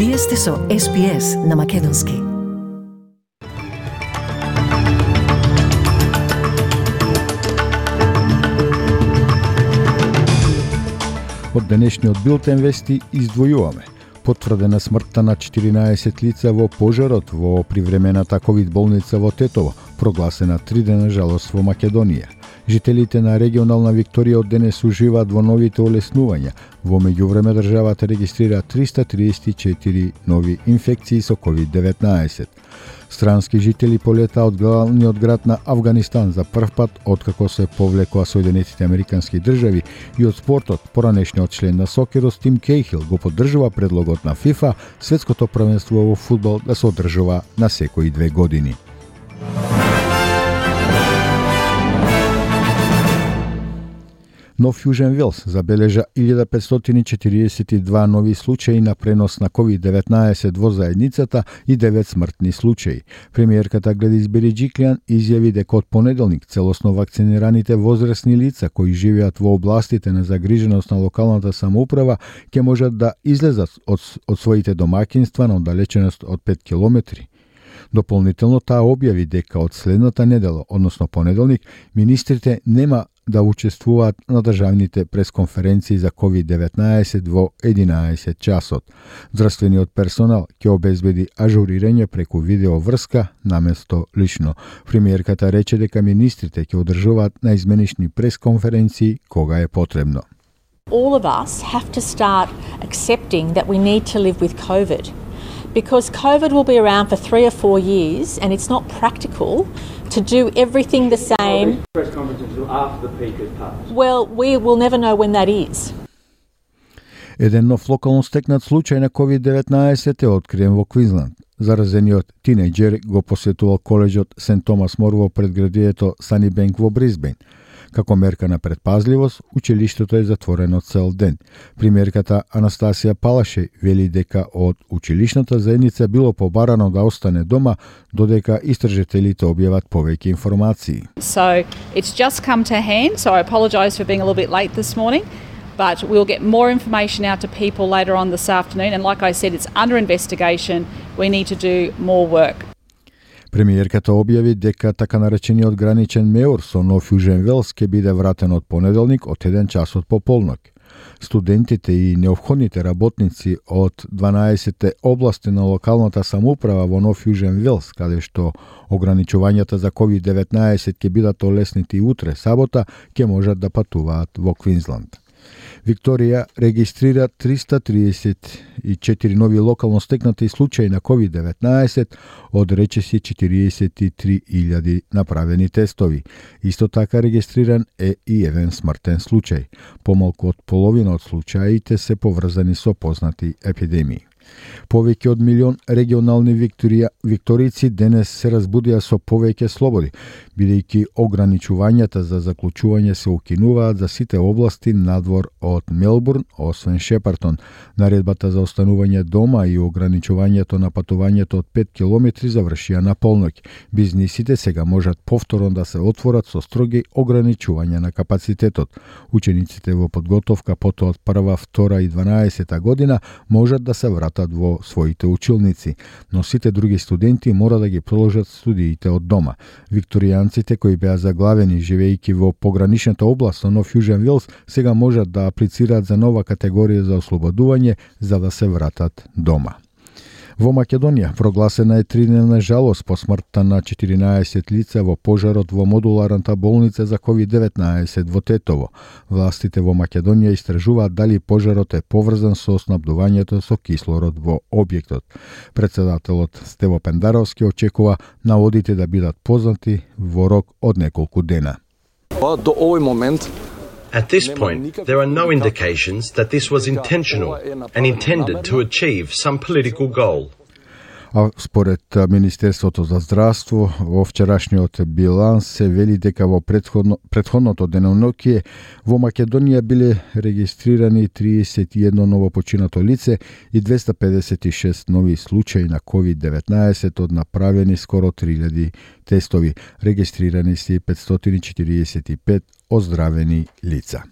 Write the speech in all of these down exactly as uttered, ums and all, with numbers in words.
Вие сте со Ес Би Ес на Македонски. Од денешниот билтен вести издвојуваме. Потврдена смртта на четиринаесет лица во пожарот во привремената ковид болница во Тетово, прогласена три дена жалост во Македонија. Жителите на регионална Викторија од денес уживаат во новите олеснувања. Во меѓувреме државата регистрира триста триесет и четири нови инфекции со ковид деветнаесет. Странски жители полетаа од главниот град на Авганистан за прв пат откако се повлекоа Соединетите Американски држави, и од спортот поранешниот член на сокерот Тим Кейхил го поддржува предлогот на ФИФА светското првенство во фудбал да се одржува на секои две години. Нов Јужен Велс забележа илјада петстотини и четириесет и два нови случаи на пренос на ковид деветнаесет во заедницата и девет смртни случаи. Премиерката Гледис Береджиклијан изјави дека од понеделник целосно вакцинираните возрастни лица кои живеат во областите на загриженост на локалната самоуправа ќе можат да излезат од, од своите домаќинства на оддалеченост од пет километри. Дополнително таа објави дека од следната недела, односно понеделник, министрите нема да учествуваат на државните пресконференции за ковид деветнаесет во единаесет часот. Здравствениот персонал ќе обезбеди ажурирање преку видеоврска наместо лично. Премиерката рече дека министрите ќе одржуваат наизменични пресконференции кога е потребно. All of us have to start accepting that we need to live with COVID. Because COVID will be around for three or four years and it's not practical to do everything the same. Press conferences after the peak has passed. Well, we will never know when that is. Еден нов локално стекнат случај на ковид деветнаесет е откриен во Квинсланд. Заразениот тинејџер го посетувал колеџот Сент Томас Мор во предградието Санибенк во Брисбен. Како мерка на предпазливост, училиштето е затворено цел ден. Премиерката Анастасија Палаше вели дека од училишната заедница било побарано да остане дома додека истражителите објават повеќе информации. So it's just come to hand, so I apologise for being a little bit late this morning, but we'll get more information out to people later on this afternoon, and like I said, it's under investigation. We need to do more work. Премиерката објави дека така наречениот граничен меор со Нов Јужен Велс ќе биде вратен од понеделник од еден часот пополноќ. Студентите и неопходните работници од дванаесет области на локалната самоуправа во Нов Јужен Велс, каде што ограничувањата за ковид деветнаесет ќе бидат олеснети и утре сабота, ќе можат да патуваат во Квинсланд. Викторија регистрира триста триесет и четири нови локално стекнати случаи на ковид деветнаесет, од речиси четириесет и три илјади направени тестови. Исто така регистриран е и еден смртен случај. Помалку од половина од случаите се поврзани со познати епидемии. Повеќе од милион регионални викторија, викторици денес се разбудија со повеќе слободи, бидејќи ограничувањата за заклучување се укинуваат за сите области надвор од Мелбурн, освен Шепартон. Наредбата за останување дома и ограничувањето на патувањето од пет километри завршија на полноќ. Бизнисите сега можат повторно да се отворат со строги ограничувања на капацитетот. Учениците во подготовка потоа од прва, втора и дванаесета година можат да се вратат во своите училници, но сите други студенти мора да ги продолжат студиите од дома. Викторијанците кои беа заглавени живејќи во пограничната област на Нов Јужен Велс сега можат да аплицираат за нова категорија за ослободување за да се вратат дома. Во Македонија прогласена е тридневна жалост по смртта на четиринаесет лица во пожарот во модуларната болница за ковид деветнаесет во Тетово. Властите во Македонија истражуваат дали пожарот е поврзан со снабдувањето со кислород во објектот. Председателот Стево Пендаровски очекува наводите да бидат познати во рок од неколку дена. До овој момент At this point, there are no indications that this was intentional and intended to achieve some political goal. А според Министерството за здравство, во вчерашниот биланс се вели дека во претходно, претходното деноноќие во Македонија биле регистрирани триесет и едно новопочинато лице и двеста педесет и шест нови случаи на ковид деветнаесет од направени скоро три илјади тестови. Регистрирани се петстотини и четириесет и пет оздравени лица.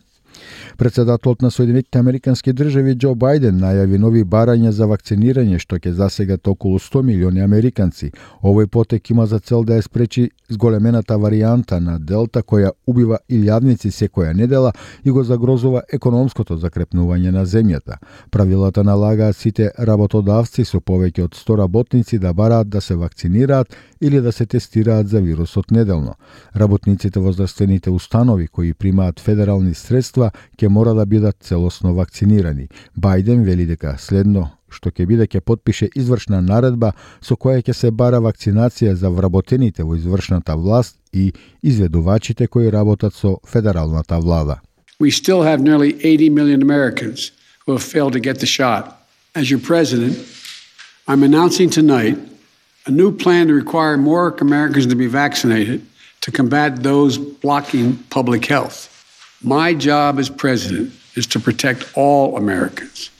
Председателот на Соединетите Американски држави Џо Бајден најави нови барања за вакцинирање што ќе засегат околу сто милиони американци. Овој потек има за цел да ја спречи зголемената варијанта на Делта која убива илјадници секоја недела и го загрозува економското закрепнување на земјата. Правилата налагаат сите работодавци со повеќе од сто работници да бараат да се вакцинираат или да се тестираат за вирусот неделно. Работниците во здравствените установи кои примаат федерални средства ќе мора да бидат целосно вакцинирани. Бајден вели дека следно што ќе биде ќе потпише извршна наредба со која ќе се бара вакцинација за вработените во извршната власт и изведувачите кои работат со федералната влада. We still have nearly eighty million Americans who have failed to get the shot. As your president, I'm announcing tonight a new plan to require more Americans to be vaccinated to combat those blocking public health. My job as president is to protect all Americans.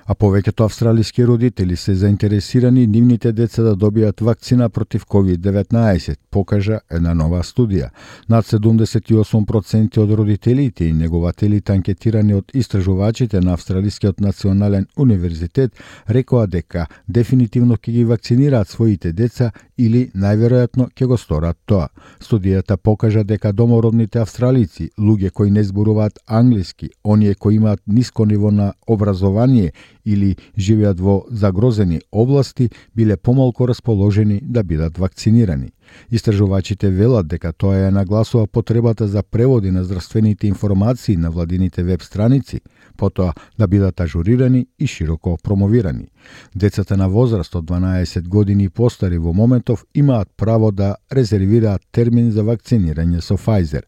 А повеќето австралиски родители се заинтересирани нивните деца да добијат вакцина против ковид деветнаесет, покажа една нова студија. Над седумдесет и осум проценти од родителите и негователите анкетирани од истражувачите на Австралискиот национален универзитет рекоа дека дефинитивно ќе ги вакцинираат своите деца или најверојатно ќе го сторат тоа. Студијата покажа дека домородните австралици, луѓе кои не зборуваат англиски, оние кои имаат ниско ниво на образование или живеат во загрозени области, биле помалку расположени да бидат вакцинирани. Истражувачите велат дека тоа ја нагласува потребата за преводи на здравствените информации на владините веб страници, потоа да бидат ажурирани и широко промовирани. Децата на возраст од дванаесет години и постари во моментов имаат право да резервираат термин за вакцинирање со Pfizer.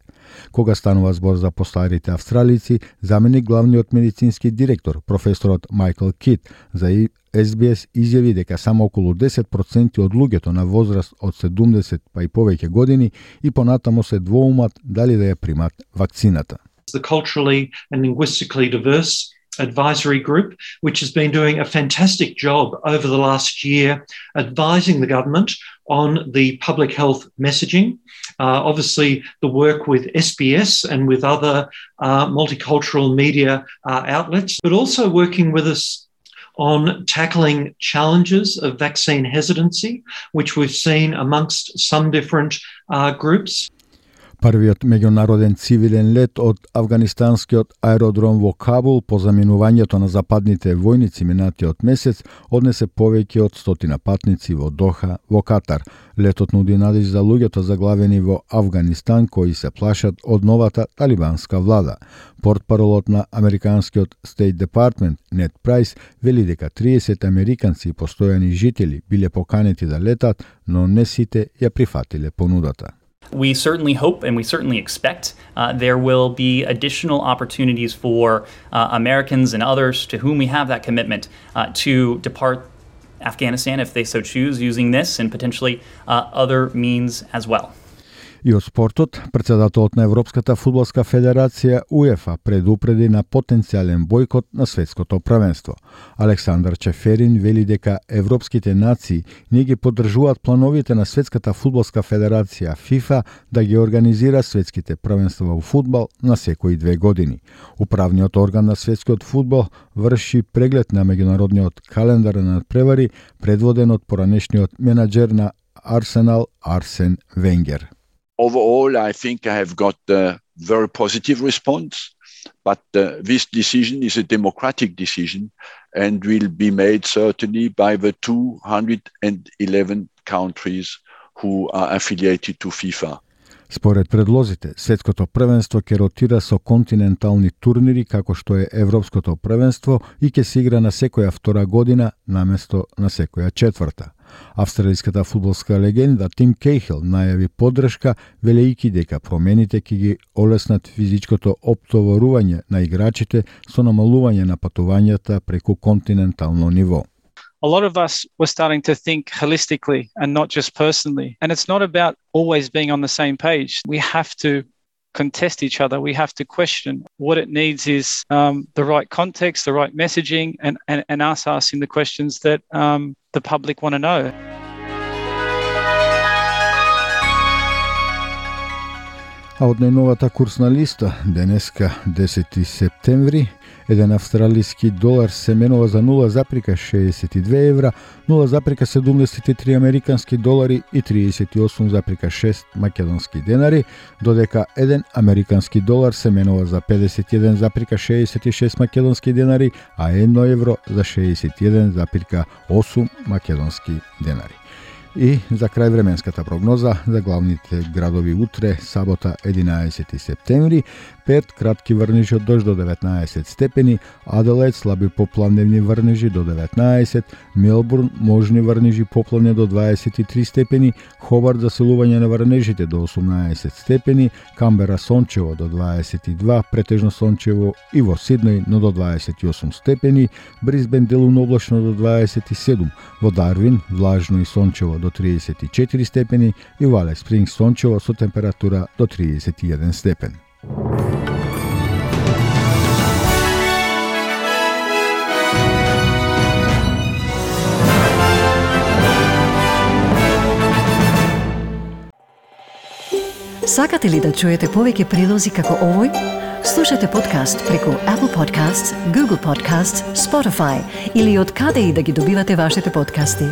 Кога станува збор за постарите австралици, заменик главниот медицински директор, професорот Майкл Кит, за Ес Би Ес изјави дека само околу десет проценти од луѓето на возраст од седумдесет па и повеќе години и понатамо се двоумат дали да ја примат вакцината. The culturally and linguistically diverse advisory group, which has been doing a fantastic job over the last year advising the government on the public health messaging. Uh, obviously, the work with S B S and with other uh, multicultural media uh, outlets, but also working with us on tackling challenges of vaccine hesitancy, which we've seen amongst some different uh, groups. Првиот меѓународен цивилен лет од афганистанскиот аеродром во Кабул по заминувањето на западните војници минатиот месец однесе повеќе од стотина патници во Доха, во Катар. Летот нуди надеж за луѓето заглавени во Авганистан кои се плашат од новата талибанска влада. Портпаролот на американскиот State Department Нед Прайс вели дека триесет американци и постојани жители биле поканети да летат, но не сите ја прифатиле понудата. We certainly hope and we certainly expect uh, there will be additional opportunities for uh, Americans and others to whom we have that commitment uh, to depart Afghanistan if they so choose, using this and potentially uh, other means as well. И од спортот, председателот на Европската фудбалска федерација УЕФА предупреди на потенцијален бойкот на светското првенство. Александар Чеферин вели дека европските нации не ги поддржуваат плановите на Светската фудбалска федерација ФИФА да ги организира светските првенства во фудбал на секои две години. Управниот орган на светскиот фудбал врши преглед на меѓународниот календар на надпревари, предводен од поранешниот менаџер на Арсенал Арсен Венгер. Overall, I think I have got a very positive response, but uh, this decision is a democratic decision and will be made certainly by the two hundred eleven countries who are affiliated to FIFA. Според предлозите, светското првенство ќе ротира со континентални турнири како што е Европското првенство и ќе се игра на секоја втора година наместо на секоја четврта. Австралиската фудбалска легенда Тим Кейхил најави поддршка, велејќи дека промените ќе ги олеснат физичкото оптоварување на играчите со намалување на патувањата преку континентално ниво. A lot of us were starting to think holistically and not just personally. And it's not about always being on the same page. We have to contest each other. We have to question. What it needs is um, the right context, the right messaging, and, and, and us asking the questions that um, the public want to know. А од најновата курсна листа, денеска десети септември, еден австралиски долар се менува за нула запирка шеесет и две евра, нула запирка седумдесет и три американски долари и триесет и осум запирка шест македонски денари, додека еден американски долар се менува за педесет и еден запирка шеесет и шест македонски денари, а едно евро за шеесет и еден запирка осум македонски денари. И за крај временската прогноза за главните градови утре, сабота единаесети септември, Перт кратки врнежи од дожд до деветнаесет степени, Аделаид слаби поплавневни врнежи до деветнаесет, Мелбурн можни врнежи поплавни до дваесет и три степени, Хобарт засилување на врнежите до осумнаесет степени, Камбера сончево до дваесет и два, претежно сончево и во Сиднеј, но до дваесет и осум степени, Брисбен делумно облачно до дваесет и седум, во Дарвин влажно и сончево до триесет и четири степени и во Алис Спрингс сончево со температура до триесет и еден степен. Сакате ли да чуете повеќе прилози како овој? Слушате подкаст преку Apple Podcasts, Google Podcasts, Spotify или од каде и да ги добивате вашите подкасти.